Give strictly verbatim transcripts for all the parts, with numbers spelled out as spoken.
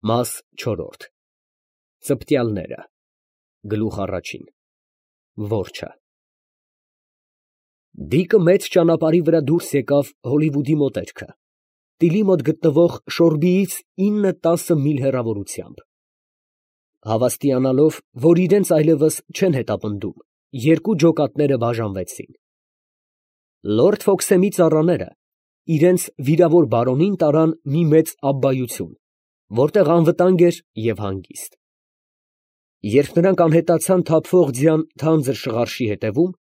Մաս չորրորդ Ծպտյալները Գլուխ առաջին Որջը Դիկը մեծ ճանապարհի վրա դուրս եկավ Հոլիվուդի մոտերքը, տիլի մոտ գտնվող Շորբիից ինը֊տասը միլ հեռավորությամբ։ Հավաստիանալով, որ իրենց այլևս չեն հետապնդում, երկու ջոկատները բաժանվեցին։ Լորդ Ֆոքսեմի ծառաները իրենց վիրավոր բարոնին տարան մի մեծ աբբայություն, որտեղ անվտանգ էր և հանգիստ։ Երբ նրանք անհետացան թափվող ձյան թանձր շղարշի հետևում,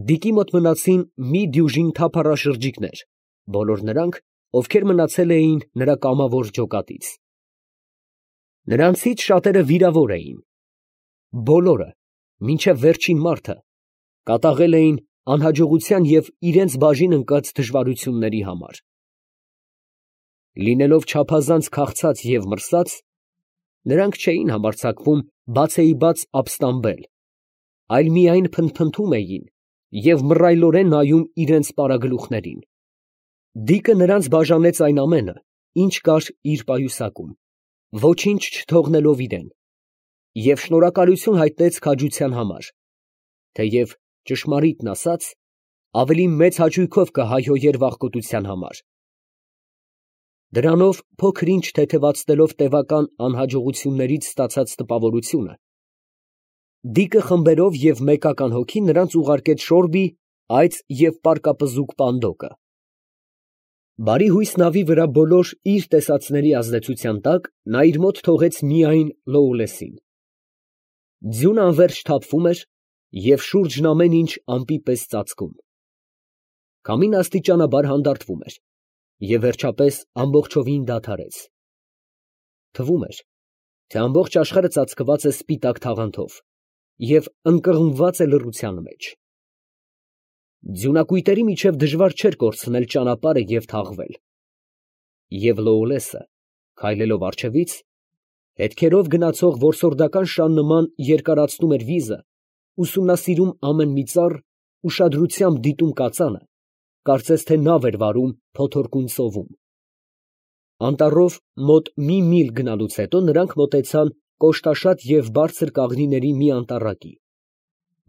Դիկի մոտ մնացին մի դյուժին թափառաշրջիկներ, բոլոր նրանք, ովքեր մնացել էին նրա կամավոր ջոկատից։ Նրանցից շատերը վիրավոր էին։ Բոլորը, մինչև վերջին մարդը, կատաղել էին անհաջողության և իրենց բաժին ընկած դժվարությունների համար։ Լինելով չափազանց քաղցած և մրսած, նրանք չէին համարձակվում բացեիբաց ապստամբել, այլ միայն փնթփնթում էին և մռայլորեն նայում իրենց պարագլուխներին։ Դիկը նրանց բաժանեց այն ամենը, ինչ կար իր պայուսակում, ոչինչ չթողնելով իրեն, և շնորհակալություն հայտնեց քաջության համար, թեև, ճշմարիտն ասած, ավելի մեծ հաճույքով կհայհոյեր վախկոտության համար։ Դրանով փոքր ինչ թեթևացնելով տևական անհաջողություններից ստացած տպավորությունը, Դիկը խմբերով և մեկական հոգի նրանց ուղարկեց Շորբի այծ և պարկապզուկ Պանդոկը։ Բարիհույս նավի վրա բոլոր իր տեսածների ազդեցության տակ նա իր մոտ թողեց միայն Լոուլեսին։ Ձյունը անվերջ թափվում էր և շուրջն ամեն ինչ ամպի պես ծածկում։ Քամին աստիճանաբար հանդարտվում էր և վերջապես ամբողջովին դադարեց։ Թվում էր, թե ամբողջ աշխարհը ծածկված է սպիտակ թաղանթով և ընկղմված է լռության մեջ։ Ձյունակույտերի միջև դժվար չէր կորցնել ճանապարհը և թաղվել։ Եվ Լոուլեսը, քայլելով առջևից, հետքերով գնացող որսորդական շան նման երկարացնում էր վիզը, ուսումնասիրում ամեն մի ծառ, ուշադրությամբ դիտում կածանը, կարծես թե նավ էր վարում փոթորկուն ծովում։ Անտառով մոտ մի միլ գնալուց հետո նրանք մոտեցան կոշտաշատ և բարձր կաղնիների մի անտառակի,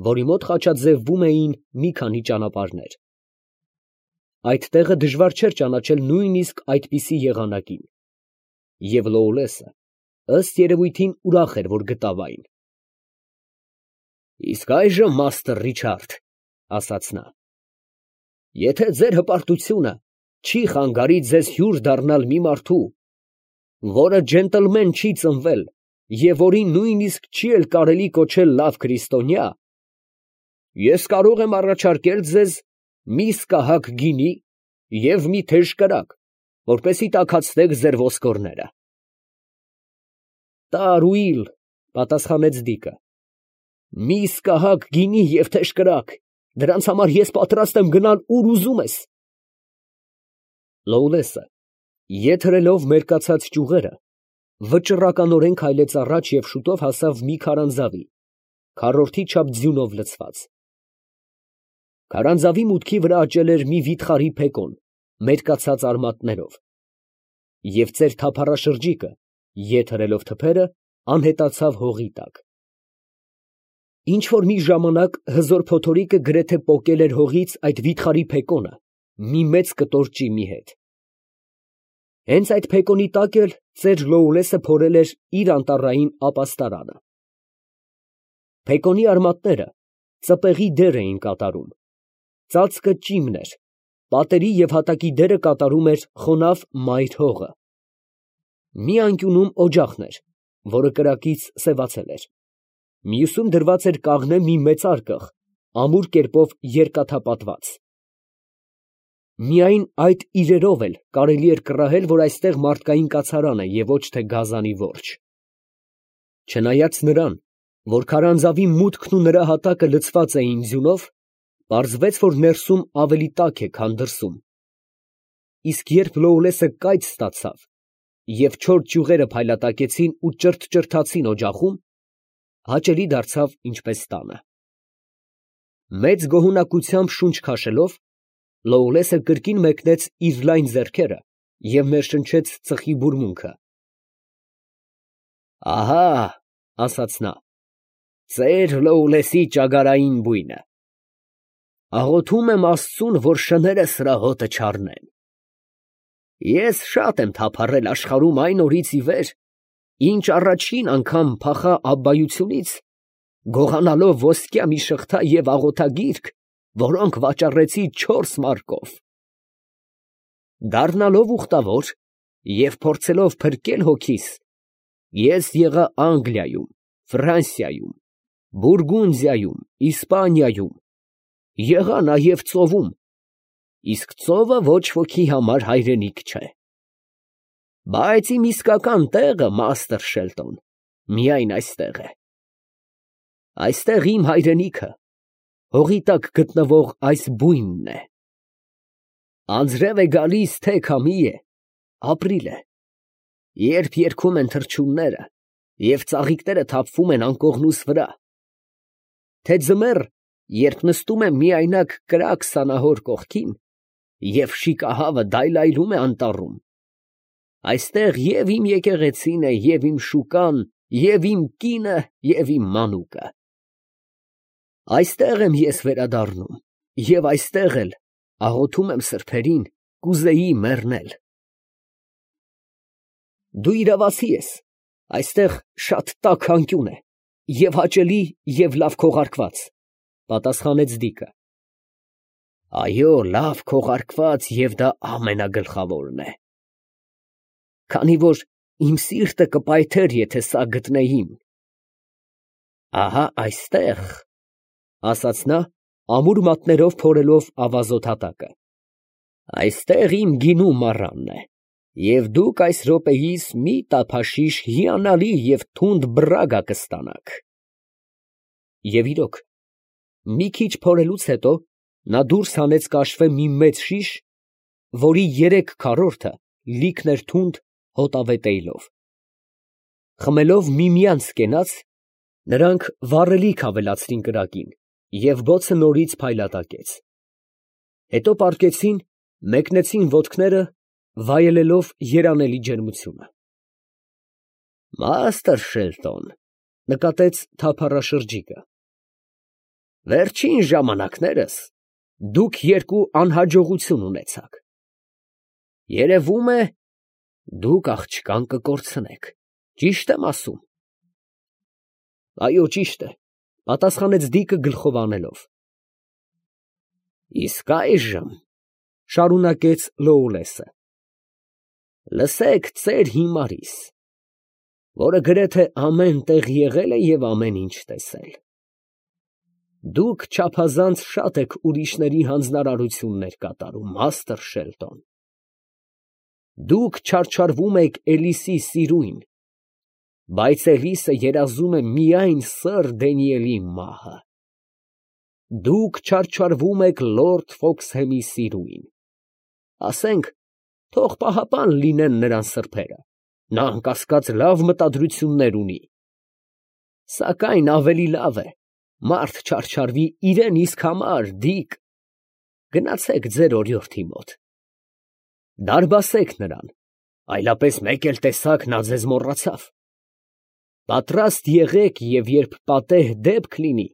որի մոտ խաչաձևվում էին մի քանի ճանապարհներ։ Այդ տեղը դժվար չէր ճանաչել նույնիսկ այդպիսի եղանակին, և Լոուլեսը, ըստ երևույթին, ուրախ էր, որ գտավ այն։ ֊ Իսկ այժմ, մաստր Ռիչարդ, ֊ ասաց նա, ֊ եթե ձեր հպարտությունը չի խանգարի ձեզ հյուր դառնալ մի մարդու, որը ջենտլմեն չի ծնվել և որին նույնիսկ չի էլ կարելի կոչել լավ քրիստոնյա, ես կարող եմ առաջարկել ձեզ մի սկահակ գինի և մի թեժ կրակ, որպեսզի տաքացնեք ձեր ոսկորները։ ֊ Տարուիլ, ֊ պատասխանեց Դիկը, ֊ մի սկահակ գինի և թեժ կրակ, դրանց համար ես պատրաստ եմ գնալ ուր ուզում ես։ Լոուլեսը, ետ հրելով մերկացած ճյուղերը, վճռականորեն քայլեց առաջ և շուտով հասավ մի քարանձավի, քառորդի չափ ձյունով լցված։ Քարանձավի մուտքի վրա աճել էր մի վիթխարի փեկոն մերկացած արմատներով, և ծեր թափառաշրջիկը, ետ հրելով թփերը, անհետացավ հողի տակ։ Ինչ֊որ մի ժամանակ հզոր փոթորիկը գրեթե պոկել էր հողից այդ վիթխարի փեկոնը մի մեծ կտոր ճիմի հետ։ Հենց այդ փեկոնի տակ էլ ծեր Լոուլեսը փորել էր իր անտառային ապաստարանը։ Փեկոնի արմատները ծպեղի դեր էին կատարում, ծածկը ճիմն էր, պատերի և հատակի դերը կատարում էր խոնավ մայր հողը։ Մի անկյունում օջախն էր, որը կրակից սևացել էր, մյուսում դրված էր կաղնե մի մեծարգղ, ամուր կերպով երկաթապատված։ Միայն այդ իրերով էլ կարելի էր կռահել, որ այստեղ մարդկային կացարան է և ոչ թե գազանի որջը։ Չնայած նրան, որ քարանձավի մուտքն ու նրա հատակը լցված էին ձյունով, պարզվեց, որ ներսում ավելի տաք է, քան դրսում։ Իսկ երբ Լոուլեսը կայծ ստացավ և չոր ճյուղերը փայլատակեցին ու ճրթճրթացին օջախում, հաճելի դարձավ ինչպես տանը։ Մեծ գոհունակությամբ շունչ քաշելով, Լոուլեսը կրկին մեկնեց իր լայն ձեռքերը և ներշնչեց ծխի բուրմունքը։ Ահա, ասաց նա, ծեր Լոուլեսի ճագարային բույնը։ Աղոթում եմ Աստծուն, որ շները սրա հոտը չառնեն։ Ես շատ եմ թափառել աշխարհում այն օրից ի վեր, ինչ առաջին անգամ փախա աբբայությունից, գողանալով ոսկյա մի շղթա և աղոթագիրք, որոնք վաճառեցի չորս մարկով։ Դառնալով ուխտավոր և փորձելով փրկել հոգիս, ես եղա Անգլիայում, Ֆրանսիայում, Բուրգունդիայում, Իսպանիայում, եղա նաև ծովում, իսկ ծովը ոչ ոքի համար հայրենիք չէ։ Բայց իմ իսկական տեղը, մաստր Շելտոն, միայն այստեղ է։ Այստեղ իմ հայրենիքը, հողի տակ գտնվող այս բույնն է։ Անձրև է գալիս, թե քամի է, ապրիլ է, երբ երգում են թռչունները և ծաղիկները թափվում են անկողնուս վրա, թե ձմեռ, երբ նստում եմ միայնակ կրակ սանահոր կողքին և շիկահավը դայլայլում է անտառում, այստեղ և իմ եկեղեցին է, և իմ շուկան, և իմ կինը, և իմ մանուկը։ Այստեղ եմ ես վերադառնում, և այստեղ էլ աղոթում եմ սրբերին, կուզեի մեռնել։ Դու իրավացի ես, այստեղ շատ տաք անկյուն է, և հաճելի և լավ քողարկված, պատասխանեց Դիկը։ Այո, լավ քողարկված և դա ամենագլխավորն է, քանի որ իմ սիրտը կպայթեր, եթե սա գտնեին։ Ահա այստեղ, ասաց նա, ամուր մատներով փորելով ավազոտ հատակը, այստեղ իմ գինու մառանն է, և դուք այս րոպեիս մի տափաշիշ հիանալի և թունդ բռագա կստանաք։ Եվ իրոք, մի քիչ փորելուց հետո նա դուրս հանեց կաշվե մի մեծ շիշ, որի երեք քառորդը լիքն էր թունդ հոտավետ էյլով։ Խմելով միմյանց կենաց, նրանք վառելիք ավելացրին կրակին, և բոցը նորից փայլատակեց։ Հետո պառկեցին, մեկնեցին ոտքները, վայելելով երանելի ջերմությունը։ Մաստր Շելտոն, նկատեց թափառաշրջիկը, վերջին ժամանակներս դուք երկու անհաջողություն ունեցաք. երևում է, դուք աղջկան կկորցնեք, ճի՞շտ եմ ասում։ Այո, ճիշտ է, պատասխանեց Դիկը գլխով անելով։ Իսկ այժմ, շարունակեց Լոուլեսը, լսեք ծեր հիմարիս, որը գրեթե ամեն տեղ եղել է և ամեն ինչ տեսել։ Դուք չափազանց շատ եք ուրիշների հանձնարարություններ կատարում, մաստր Շելտոն։ Դուք չարչարվում եք Էլիսի սիրույն, բայց Էլիսը երազում է միայն սըր Դանիելի մահը։ Դուք չարչարվում եք լորդ Ֆոքսհեմի սիրույն, ասենք, թող պահապան լինեն նրան սրբերը, նա անկասկած լավ մտադրություններ ունի, սակայն ավելի լավ է մարդ չարչարվի իրան իսկ համար, Դիկ, գնացեք ձեր օրիորդի մոտ, դարբասեք նրան, այլապես մեկ էլ տեսաք, նա ձեզ մոռացավ, պատրաստ եղեք և երբ պատեհ դեպք լինի,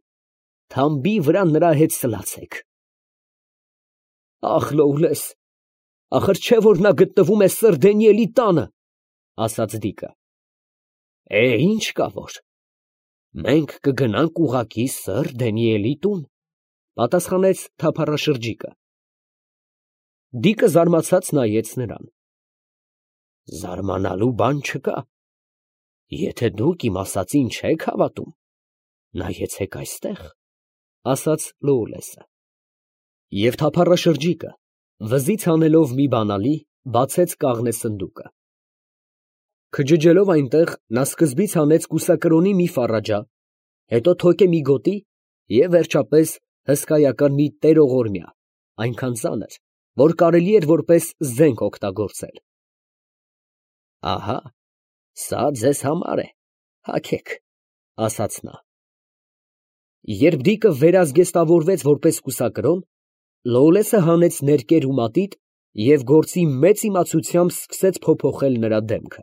թամբի վրա նրա հետ սլացեք։ Ախ, Լոուլես, ախր չէ՞ որ նա գտնվում է սըր Դանիելի տանը, ասաց Դիկը։ Է, ինչ կա որ, մենք կգնանք ուղղակի սըր Դանիելի տուն, պատասխանեց թափառաշրջիկը։ Դիկը զարմացած նայեց նրան։ Զարմանալու բան չկա, եթե դուք իմ ասածին չեք հավատում, նայեցեք այստեղ, ասաց Լոուլեսը։ Եվ թափառաշրջիկը, վզից հանելով մի բանալի, բացեց կաղնե սնդուկը։ Քջջելով այնտեղ, նա սկզբից հանեց կուսակրոնի մի ֆառաջա, հետո թոկե մի գոտի և վերջապես հսկայական մի տերողորմյա, այնքան ծանր, որ կարելի էր որպես զենք օգտագործել։ Ահա, սա ձեզ համար է, հագեք, ասաց նա։ Երբ Դիկը վերազգեստավորվեց որպես կուսակրոն, Լոուլեսը հանեց ներկեր ու մատիտ և գործի մեծ իմացությամբ սկսեց փոփոխել նրա դեմքը։